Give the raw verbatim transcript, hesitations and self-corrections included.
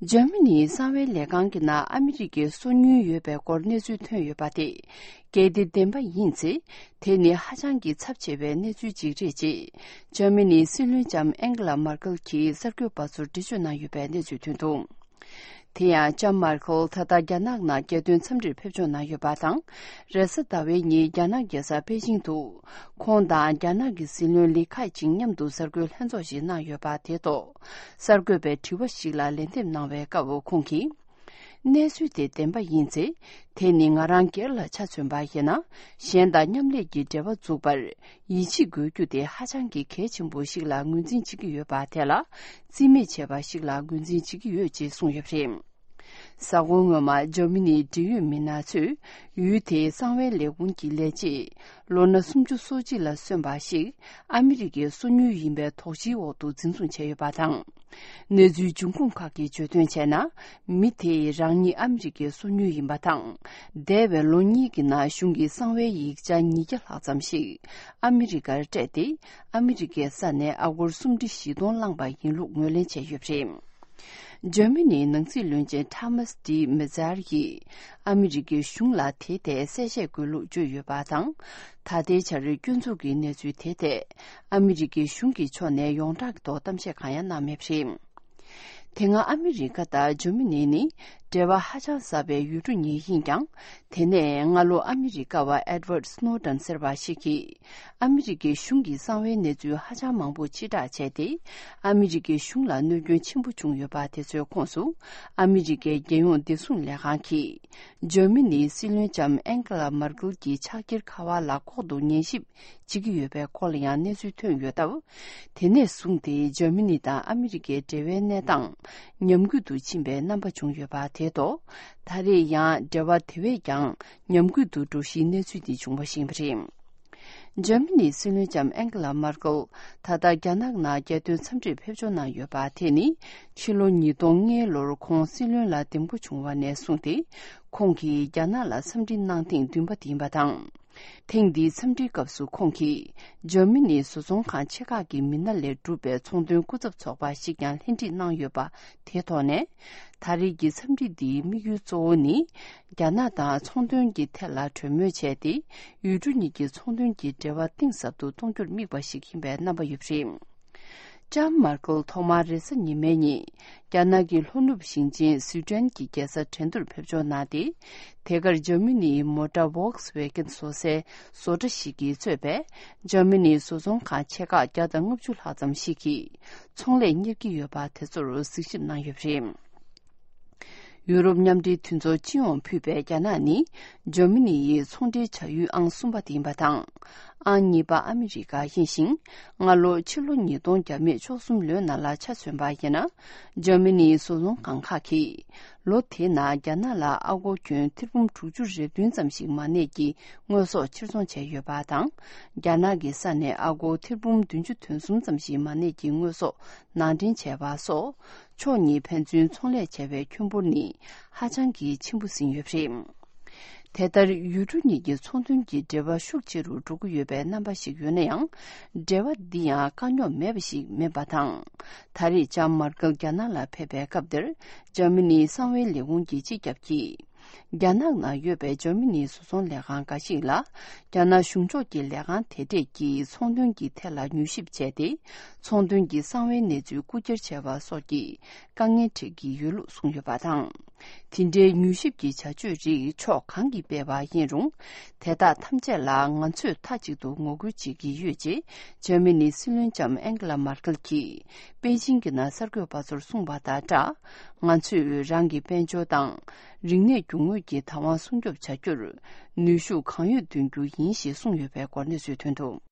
འཇར་མ་ནིའི་གསང་བའི་ལས་ཁང་གི་ནང་ཨ་མི་རི་ཀའི་སོ་ཉུལ་ཡོད་པའི་སྐོར་གནས་ཚུལ་ཐོན་ཡོད་པ་དེ། གལ་ཏེ་བདེན་པ་ཡིན་ཚེ། དེ་ནི་ཧ་ཅང་གི་ཚབས་ཆེ་བའི་གནས་ཚུལ་ཅིག་རེད་ཅེས། འཇར་མ་ནིའི་སྲིད་བློན་ལྕམ་ཨན་ཀེ་ལ་མར་ཀེལ་གྱིས་གསར་འགོད་པ་ཚོར་འགྲེལ་བརྗོད་གནང་ཡོད་པའི་གནས་ཚུལ་ཐོན་འདུག་དེ་ཡང་ལྕམ་མར་ཁེལ་ད་ལྟ་རྒྱ་ནག་ནང་རྒྱལ་དོན་འཚམས་འདྲིར་ཕེབས་འབྱོར་གནང་ཡོད་པ་དང་། རེས་གཟའ་ཟླ་བའི་ཉིན་རྒྱ་ནག་རྒྱལ་ས་པེ་ཅིང་དུ། ཁོང་དང་རྒྱ་ནག་གི་སྲིད་བློན་ལི་ཁེ་ཆིང་མཉམ་དུ་གསར་འགོད་ལྷན་ཚོགས་ཤིག་གནང་ཡོད་པ་དེ་ཐོག་གསར་འགོད་པའི་དྲི་བ་ཞིག་ལ་ལན་འདེབས་གནང་བའི་སྐབས་ཁོང་གིས། གནས་ཚུལ་དེ་བདེན་པ་ཡིན་ཚེ། དེ་ནི་ང་རང་སྒེར་ལ་ཆ་མཚོན་པ་ཡིན་ན། གཞན་དང་མཉམ་ལས་ཀྱི་འབྲེལ་བ་འཛུགས་པར། ཡིད་ཆེས་དགོས་རྒྱུ་དེ་ཧ་ཅང་གི་གལ་ཆེན་པོ་ཞིག་ལ་ངོས་འཛིན་བྱེད་ཀྱི་ཡོད་པ་དེ་ལ། རྩིས་མེད་བྱས་པ་ཞིག་ལ་ངོས་འཛིན་བྱེད་ཀྱི་ཡོད་ཅེས་གསུངས་ཡོད་པ་རེད། གཟའ་འཁོར་སྔོན་མ་འཇར་མ་ནིའི་འབྲེལ་ཡོད་མི་སྣ་ཚོས། ཡུལ་དེའི་གསང་བའི་ལས་ཁུངས་ཀྱི་ལས་བྱེད། ལོ་ན་སུམ་ཅུ་སོ་གཅིག་ལ་སོན་པ་ཞིག་ཨ་མི་རི་ཀའི་སོ་ཉུལ་ཡིན་པའི་དོགས་གཞིའི་འོག་ཏུ་འཛིན་བཟུང་བྱས་ཡོད་པ་དང་། གནས་ཚུལ་འབྱུང་ཁུངས་ཁག་གིས་བརྗོད་དོན་བྱས་ན། མི་དེས་རང་ཉིད་ཨ་མི་རི་ཀའི་སོ་ཉུལ་ཡིན་པ་དང་། འདས་པའི་ལོ་གཉིས་ཀྱི་ནང་གཞུང་གི་གསང་བའི་ཡིག་ཆ་ཉིས་བརྒྱ་ལྷག་ཙམ་ཞིག་ཨ་མི་རི་ཀར་སྤྲད་དེ། ཨ་མི་རི་ཀའི་ས་ནས་ཨ་སྒོར་སུམ་ཁྲི་བཞི་སྟོང་བླངས་པ་ཡིན་ལུགས་ངོས་ལེན་བྱས་ཡོད་པ་རེད། འཇར་མ་ནིའི་ནང་སྲིད་བློན་ཆེན་ཐ་མཱས་ཌི་མེ་ཛར་ཡིས་ཨ་མི་རི་ཀའི་གཞུང་ལ་དེའི་ཐད་གསལ་བཤད་དགོས་ལུགས་བརྗོད་ཡོད་པ་དང་། ད་ལྟའི་ཆར་སྐྱོན་འཛུགས་ཀྱི་གནས་ཚུལ་དེའི་ཐད་ཨ་མི་རི་ཀའི་གཞུང་གི་ཕྱོགས་ནས་ཡོངས་གྲགས་ཀྱི་ཐོག་གཏམ་བཤད་གང་ཡང་གནང་མེད་པ་རེད། དེ་སྔ་ཨ་མི་རི་ཀ་དང་འཇར་མ་ནི་ནི་འབྲེལ་བ་ཧ་ཅང་ཟབ་པའི་ཡུལ་གྲུ་གཉིས་ཡིན་ཀྱང་། དེ་ནས་སྔ་ལོ་ཨ་མི་རི་ཀ་བ་ཨེ་ཌི་ཝར་ཌི་སྣོ་ཌེན་ཟེར་བ་ཞིག་གིས། ཨ་མི་རི་ཀའི་གཞུང་གི་གསང་བའི་གནས་ཚུལ་ཧ་ཅང་མང་པོ་ཕྱིར་བསྒྲགས་བྱས་ཏེ། ཨ་མི་རི་ཀའི་གཞུང་ལ་གནོད་སྐྱོན་ཆེན་པོ་བྱུང་ཡོད་པ་དེ་ཚོའི་ཁོངས་སུ། ཨ་མི་རི་ཀའི་རྒྱལ་ཡོངས་བདེ་སྲུང་ལས་ཁང་གིས། འཇར་མ་ནིའི་སྲིད་བློན་ལྕམ་ཨན་ཀེ་ལ་མར་ཀེལ་གྱི་ཕྱག་འཁྱེར་ཁ་པར་ལ་ལྐོག་ཏུ་ཉན་ཞིབ་བྱེད་ཀྱི་ཡོད་པའི་སྐོར་ལ་ཡང་གནས་ཚུལ་ཐོན་ཡོད་སྟབས། དེ་ནས་བཟུང་སྟེ་འཇར་མ་ནི་དང་ཨ་མི་རི་ཀའི་འབྲེལ་བའི་གནས་སྟངས་ཉམས་རྒུད་དུ་ཕྱིན་པའི་རྣམ་པ་བྱུང་ཡོད་པ་དེ་ཐོག་ད་རེས་ཡང་འབྲེལ་བ་དེ་བས་ཀྱང་ཉམས་རྒུད་དུ་འགྲོ་གཞིའི་གནས་ཚུལ་འདི་བྱུང་བ་ཞིག་ཡིན་པ་རེད། འཇར་མ་ནིའི་སྲིད་བློན་ལྕམ་ཨན་ཀེ་ལ་མར་ཀེལ་ད་ལྟ་རྒྱ་ནག་ནང་རྒྱལ་དོན་འཚམས་འདྲིར་ཕེབས་འབྱོར་གནང་ཡོད་པ་དེ་ནི། ཕྱི་ལོ་ཉིས་སྟོང་ལྔ་ལོར་ཁོང་སྲིད་བློན་ལ་འདེམས་བསྐོ་བྱུང་བ་ནས་བཟུང་སྟེ། ཁོང་གིས་རྒྱ་ནག་ལ་འཚམས་འདྲི་གནང་ཐེངས་བདུན་པ་དེ་ཡིན་པ་དང་། ཐེངས་འདིའི་འཚམས་འདྲིའི་སྐབས་སུ་ཁོང་གིས། འཇར་མ་ནིའི་བཟོ་ཚོང་ཁང་ཆེ་ཁག་གི་མི་སྣ་ལས་གྲུབ་པའི་ཚོང་དོན་སྐུ་ཚབ་ཚོགས་པ་ཞིག་ཀྱང་ལྷན་ཁྲིད་གནང་ཡོད་པ་དེའི་ཐོག་ནས། ད་རེས་ཀྱི་འཚམས་འདྲི་འདིའི་དམིགས་ཡུལ་གཙོ་བོ་ནི། རྒྱ་ནག་དང་ཚོང་དོན་གྱི་ཐད་ལ་གྲོས་མོལ་བྱས་ཏེ། ཡུལ་གྲུ་གཉིས་ཀྱི་ཚོང་དོན་གྱི་འབྲེལ་བ་གཏིང་ཟབ་ཏུ་གཏོང་རྒྱུར་དམིགས་པ་ཞིག་ཡིན་པའི་རྣམ་པ་ཡོད་པ་རེད། ལྕམ་མར་ཀེལ་ཐོག་མར་རེས་གཟའ་ཉི་མའི་ཉིན། རྒྱ་ནག་གི་ལྷོ་ནུབ་ཞིང་ཆེན་སུའུ་ཀྲན་གྱི་རྒྱལ་ས་ཁྲེང་ཏུར་ཕེབས་འབྱོར་གནང་སྟེ། དེ་གར་འཇར་མ་ནིའི་མོ་ཊ་ཝོག་སི་ཝེ་གན་བཟོ་སའི་བཟོ་གྲྭ་ཞིག་གིས་གཙོས་པའི་འཇར་མ་ནིའི་བཟོ་ཚོང་ཁང་ཆེ་ཁག་བརྒྱ་དང་ལྔ་བཅུ་ལྷག་ཙམ་ཞིག་གིས་ཚོང་ལས་གཉེར་གྱི་ཡོད་པ་དེ་ཚོར་གཟིགས་ཞིབ་གནང་ཡོད་པ་རེད། ཡུ་རོབ་མཉམ་འབྲེལ་མཐུན་ཚོགས་སྤྱི་ཡོངས་ཕུད་པའི་རྒྱ་ནག་ནི་འཇར་མ་ནི་ཡི་ཚོང་འབྲེལ་བྱ་ཡུལ་ཨང་གསུམ་པ་དེ་ཡིན་པ་དང་། ཨང་གཉིས་པ་ཨ་མི་རི་ཀ་ཡིན་ཞིང་། སྔ་ལོ་ཕྱི་ལོ་ཉིས་སྟོང་བརྒྱ་མེད་བཅུ་གསུམ་ལོའི་ནང་ལ་ཆ་མཚོན་པ་ཡིན་ན། འཇར་མ་ནིའི་བཟོ་ཚོང་ཁང་ཁག་གིས་ལོ་དེའི་ནང་རྒྱ་ནག་ལ་ཨ་སྒོར་ཁྱོན་ཐེར་འབུམ་དྲུག་ཅུ་རེ་བདུན་ཙམ་ཞིག་མ་གནས་ཀྱི་དངོས་ཟོག་ཕྱིར་ཚོང་བྱས་ཡོད་པ་དང་། རྒྱ་ནག་གི་ས་ནས་ཨ་སྒོར་ཐེར་འབུམ་བདུན་ཅུ་དོན་གསུམ་ཙམ་ཞིག་མ་གནས་ཀྱི་དངོས་ཟོག་ནང་འདྲེན་བྱས་པ་སོགས། ཕྱོགས་གཉིས་ཕན་ཚུན་ཚོང་ལས་བྱ་བའི་ཁྱོན་འབོར་ནི་ཧ་ཅང་གི་ཆེན་པོ་ཟིན་ཡོད་པ་རེད། དེ་ལྟར་ཡུལ་གྲུ་གཉིས་ཀྱི་ཚོང་དོན་གྱི་འབྲེལ་བ་ཤུགས་ཆེ་རུ་འགྲོ་གི་ཡོད་པའི་རྣམ་པ་ཞིག་ཡོད་ན་ཡང་། འབྲེལ་བ་འདི་ཡང་དཀའ་རྙོག་མེད་པ་ཞིག་མིན་པ་དང་། ད་རེས་ལྕམ་མར་ཀེལ་རྒྱ་ནག་ལ་ཕེབས་པའི་སྐབས་འདིར་འཇར་མ་ནིའི་གསང་བའི་ལས་ཁུངས་ཀྱི་སྤྱི་ཁྱབ་ཀྱིས། རྒྱ་ནག་ནང་ཡོད་པའི་འཇར་མ་ནིའི་བཟོ་ཚོང་ལས་ཁང་འགའ་ཞིག་ལ། རྒྱ་ནག་གཞུང་ཕྱོགས་ཀྱི་ལས་ཁང་དེ་གྲས་ཀྱིས་ཚོང་དོན་གྱི་ཐད་ལ་མྱུལ་ཞིབ་བྱས་ཏེ། ཚོང་དོན་གྱི་གསང་བའི་གནས་ཚུལ་རྐུ་འཁྱེར་བྱས་པ་སོགས་ཀྱི་དཀའ་ངལ་འཕྲད་ཀྱི་ཡོད་ལུགས་གསུངས་ཡོད་པ་དང་། དེ་འདྲའི་མྱུལ་ཞིབ་ཀྱི་བྱ་སྤྱོད་རིགས་ཕྱོགས་གང་གིས་སྤེལ་བ་ཡིན་རུང་། དེ་དག་ཐམས་ཅད་ལ་ང་ཚོས་མཐའ་གཅིག་ཏུ་ངོ་རྒོལ་བྱེད་ཀྱི་ཡོད་ཅེས། འཇར་མ་ནིའི་སྲིད་བློན་ལྕམ་ཨན་ཀེ་ལ་མར་ཀེལ་གྱིས་པེ་ཅིང་གི་ནང་གསར་འགོད་པ་ཚོར་གསུངས་པ་དང་སྦྲགས། ང་ཚོས་རང་གི་དཔལ་འབྱོར་དང་། རིག་གནས་རྒྱུ་དངོས་ཀྱི་བདག་དབང་སྲུང་སྐྱོབ་བྱ་རྒྱུར། ནུས་ཤུགས་གང་ཡོད་འདོན་རྒྱུ་ཡིན་ཞེས་གསུངས་ཡོད་པའི་སྐོར་གནས་ཚུལ་ཐོན་འདུག